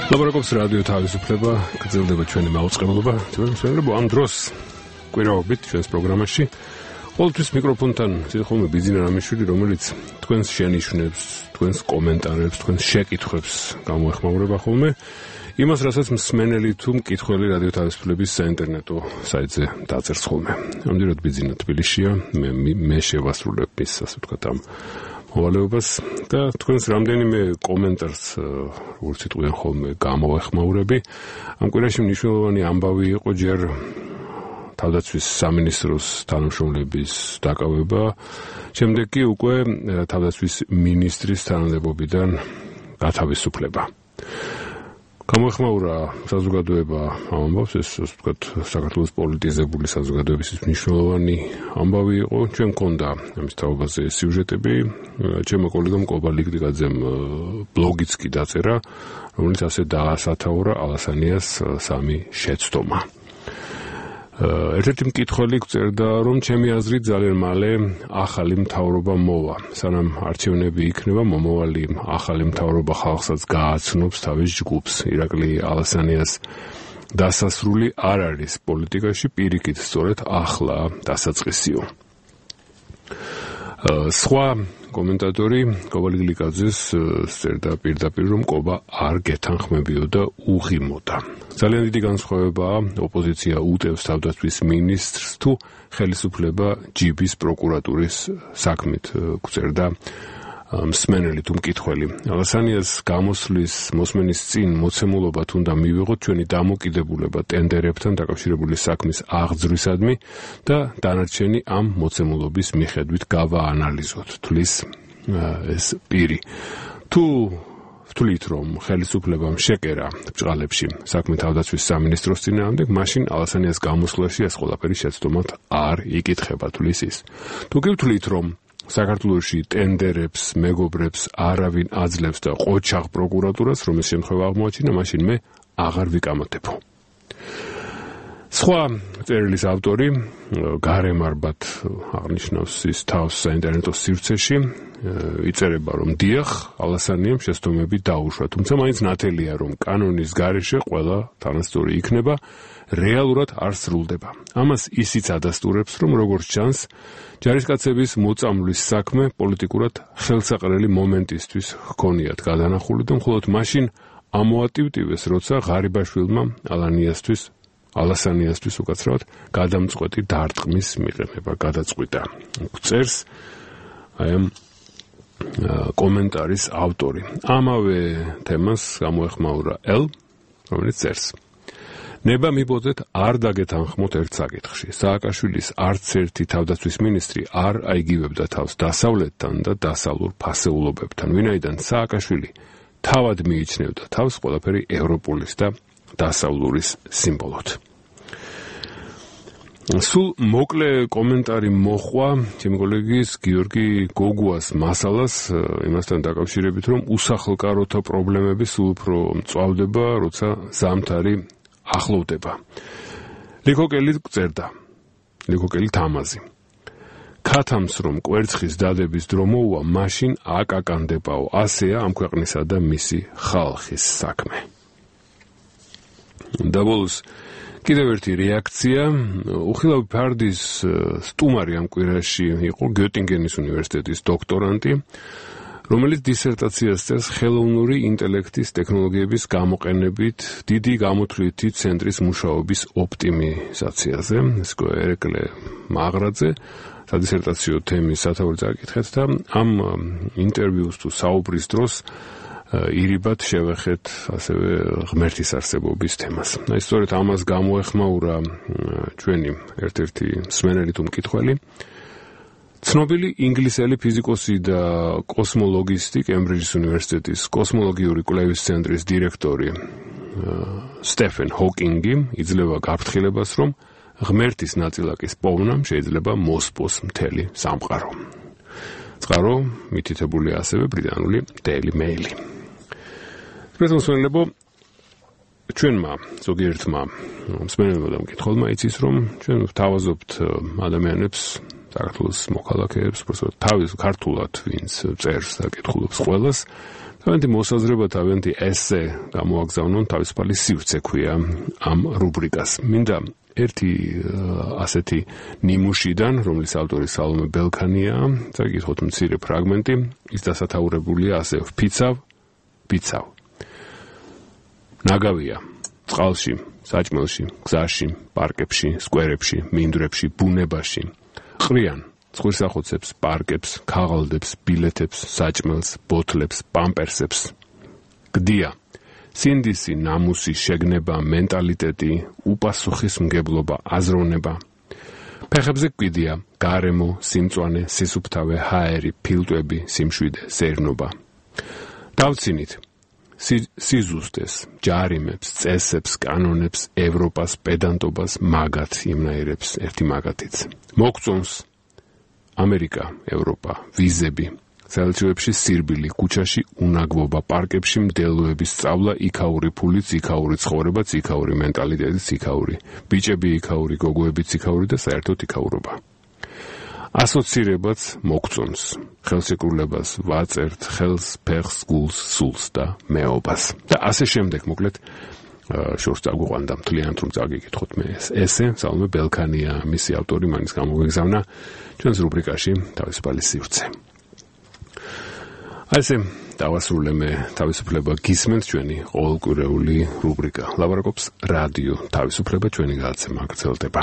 ლაბორატორიის რადიო თავისუფლება გრძელდება ჩვენი მაუწყებლობა. თუმცა ამ დროს კვირაობით ჩვენს პროგრამაში ყოველთვის მიკროფონთან ზეხომე ბიძინა რამიშვილი, რომელიც თქვენს შენიშვნებს, თქვენს კომენტარებს, თქვენს შეკითხვებს გამოეხმაურება ხოლმე. იმას, რასაც მსმენელი თუ მკითხველი რადიო თავისუფლების საინტერნეტო საიტზე დაწერს ხოლმე. ამდენად ბიძინა თბილისშია, მე შევასრულებ ის, ასე ვთქვათ, ამ მოვალეობას და თქვენს რამდენიმე კომენტარს როგორც იტყვიან ხოლმე გამოეხმაურები. ამ კვირაში მნიშვნელოვანი ამბავი იყო ჯერ თავდაცვის სამინისტროს თანამშრომლების დაკავება, შემდეგ კი უკვე თავდაცვის მინისტრის თანამდებობიდან გათავისუფლება. გამოეხმაურა საზოგადოება ამ ამბავს, ეს ასე ვთქვათ, საქართველოს პოლიტიზებული საზოგადოების მნიშვნელოვანი ამბავი იყო. ჩვენ მქონდა ამის თაობაზე სიუჟეტები, ჩემო კოლეგამ კობა ლიგდიგაძემ ბლოგიც კი დაწერა, რომელიც ასე დაასათაურა ალასანიას სამი შეცდომა. ერთ-ერთი მკითხველი გწერდა, რომ ჩემი აზრით ძალიან მალე ახალი მთავრობა მოვა. სანამ არჩევნები იქნება, მომავალი ახალი მთავრობა ხალხსაც გააცნობს თავის ჯგუფს. ირაკლი ალასანიას დასასრული არ არის პოლიტიკაში, პირიქით სწორედ ახლა დასაწყისიო. სხვა კომენტატორი კობა ლიგდიგაძეს წერდა პირდაპირ, რომ კობა არ გეთანხმებიო და უღიმოდა. ძალიან დიდი განსხვავებაა ოპოზიცია უტევს თავდაცვის მინისტრს თუ ხელისუფლება ჯიბის პროკურატურის საქმით, გწერდა მსმენელი თუ მკითხველი. ალასანიას გამოსვლის მოსმენის წინ მოცემულობა თუნდა მივიღოთ ჩვენი დამოკიდებულება ტენდერებთან დაკავშირებული საქმის აღძრვისადმი და დანარჩენი ამ მოცემულობის მიხედვით გავაანალიზოთ, თulis ეს პირი. თუ ვთვლით, რომ ხელისუფლებამ შეკერა ბჭყალებში საქმე თავდაცვის სამინისტროს წინააღმდეგ, მაშინ ალასანიას გამოსვლაში ეს ყველაფერი შეცდომად არ იკითხება, თulis ის. თუ კი ვთვლით, რომ საქართველოში ტენდერებს, მეგობრებს არავინ აძლევს და ყოჩაღ პროკურატურას, რომ ეს შემთხვევა აღმოაჩინა, მაშინ მე აღარ ვიკამათებო. სხვა წერილის ავტორი გარემარბად აღნიშნავს ის თავს საინტერნეტო სივრცეში, იწერება, რომ დიახ, ალასანიამ შეცდომები დაუშვა, თუმცა მაინც ნათელია, რომ კანონის გარეშე ყველა თანასწორი იქნება, რეალურად არ სრულდება. ამას ისიც ადასტურებს, რომ როგორც ჩანს, ჯარისკაცების მოწამვლის საქმე პოლიტიკურად ხელსაყრელი მომენტისთვის ჰქონიათ გადანახული და მხოლოდ მაშინ ამოატივტივეს, როცა ღარიბაშვილმა ალასანიასთვის უკაცრავად გადამწყვეტი დარტყმის მიყენება გადაწყვიტა. წერს აი ამ კომენტარის ავტორი. ამავე თემას გამოეხმაურა ელ, რომელიც წერს. ნება მიბოძეთ არ დაგეთანხმოთ ერთ საკითხში. სააკაშვილის არც ერთი თავდაცვის მინისტრი არ აიგივებდა თავს დასავლეთთან და დასავლურ ფასეულობებთან, ვინაიდან სააკაშვილი თავად მიიჩნევდა თავს ყველაფერი ევროპულის და დასავლურის სიმბოლოდ. სულ მოკლე კომენტარი მოხვა ჩემი კოლეგის გიორგი გოგუას მასალას იმასთან დაკავშირებით, რომ უსახლკაროთა პრობლემები სულ უფრო მწვავდება, როცა ზამთარი ახლოვდება. ლიქოკელი წერდა, ლიქოკელი თამაზი. ქათამს რომ კვერცხის დადების დრო მოუვა, მაშინ აკაკანდებაო. ასეა ამ ქვეყნისა და მისი ხალხის საქმე. და ბოლოს კიდევ ერთი რეაქცია. უხილავი ფარდის სტუმარი ამ კვირაში იყო გიოტინგენის უნივერსიტეტის დოქტორანტი, რომელიც დისერტაციას წერს ხელოვნური ინტელექტის ტექნოლოგიების გამოყენებით დიდი გამოთვლითი ცენტრის მუშაობის ოპტიმიზაციაზე. ეს ერეკლე მაღრაძე სადისერტაციო თემის სათაური წაკითხეთ და ამ ინტერვიუს თუ საუბრის დროს ირიბად შევეხეთ ასევე ღმერთის არსებობის თემას. აი სწორედ ამას გამოეხმაურა ჩვენი ერთ-ერთი მსმენელი თუ მკითხველი. ცნობილი ინგლისელი ფიზიკოსი და კოსმოლოგისტი, კემბრიჯის უნივერსიტეტის კოსმოლოგიური კვლევის ცენტრის დირექტორი სტეფენ ჰოკინგი იძლევა გაფრთხილებას, რომ ღმერთის ნაწილაკის პოვნამ შეიძლება მოსპოს მთელი სამყარო. წყარო მითითებული ასევე ბრიტანული Daily Mail. პრეზიდენტო, ჩვენმა ზოგიერთმა მსმენელმა და მკითხველმა იცის, რომ ჩვენ ვთავაზობთ ადამიანებს, საქართველოს მოქალაქეებს, პროფესორ თავის ქართულად ვინც წერს და კითხულობს ყველას, თავიანთი მოსაზრება, თავიანთი ესე გამოაგზავნონ თავისუფალი სივრცე ქვია ამ რუბრიკას. მინდა ერთი ასეთი ნიმუშიდან, რომლის ავტორი სალომე ბელქანია, წაგიკითხოთ მცირე ფრაგმენტი, ის დასათაურებულია ასე: ფიცავ. ნაგავია წყალში, საჭმელში, გზაში, პარკებში, სკვერებში, მინდვრებში, ბუნებაში. ყრიან ცხვირსახოცებს, პარკებს, ქაღალდებს, ბილეთებს, საჭმელს, ბოთლებს, პამპერსებს. გდია სინდისი, ნამუსი, შეგნება, მენტალიტეტი, უპასუხისმგებლობა, აზროვნება. ფეხებზე კვიდია გარემო, სიმწვანე, სისუფთავე, ჰაერი, ფილტვები, სიმშვიდე, სერნობა. დავცინით სიზუსტეს, ჯარიმებს, წესებს, კანონებს, ევროპას, პედანტობას, მაგათ იმნაირებს, ერთი მაგათიც. მოგწონს ამერიკა, ევროპა, ვიზები, საელჩოებში სირბილი, ქუჩაში უნაგბობა, პარკებში მდელოების სწავლა, იქაური ფულიც, იქაური ცხოვრებაც, იქაური მენტალიტეტიც, იქაური ბიჭები, იქაური გოგოებიც, იქაური და საერთოდ იქაურობა. ასოცირებაც მოგწონს, ხელშეკრულებას ვაწერთ, ხელს, ფეხს, გულს, სულს და მეობას. და ასე შემდეგ, მოკლედ, შორს წაგვიყვანდა მთლიანად რომ წაგიკითხოთ მე ესე, სალომე ბელქანია, მისი ავტორი, მანის გამოგეგზავნა ჩვენს რუბრიკაში თავისუფალი სივრცე. ასე დავასრულე მე თავისუფლება გისმენთ ჩვენი ყოველკვირეული რუბრიკა. ლაპარაკობს რადიო თავისუფლება, ჩვენი გადაცემა გრძელდება.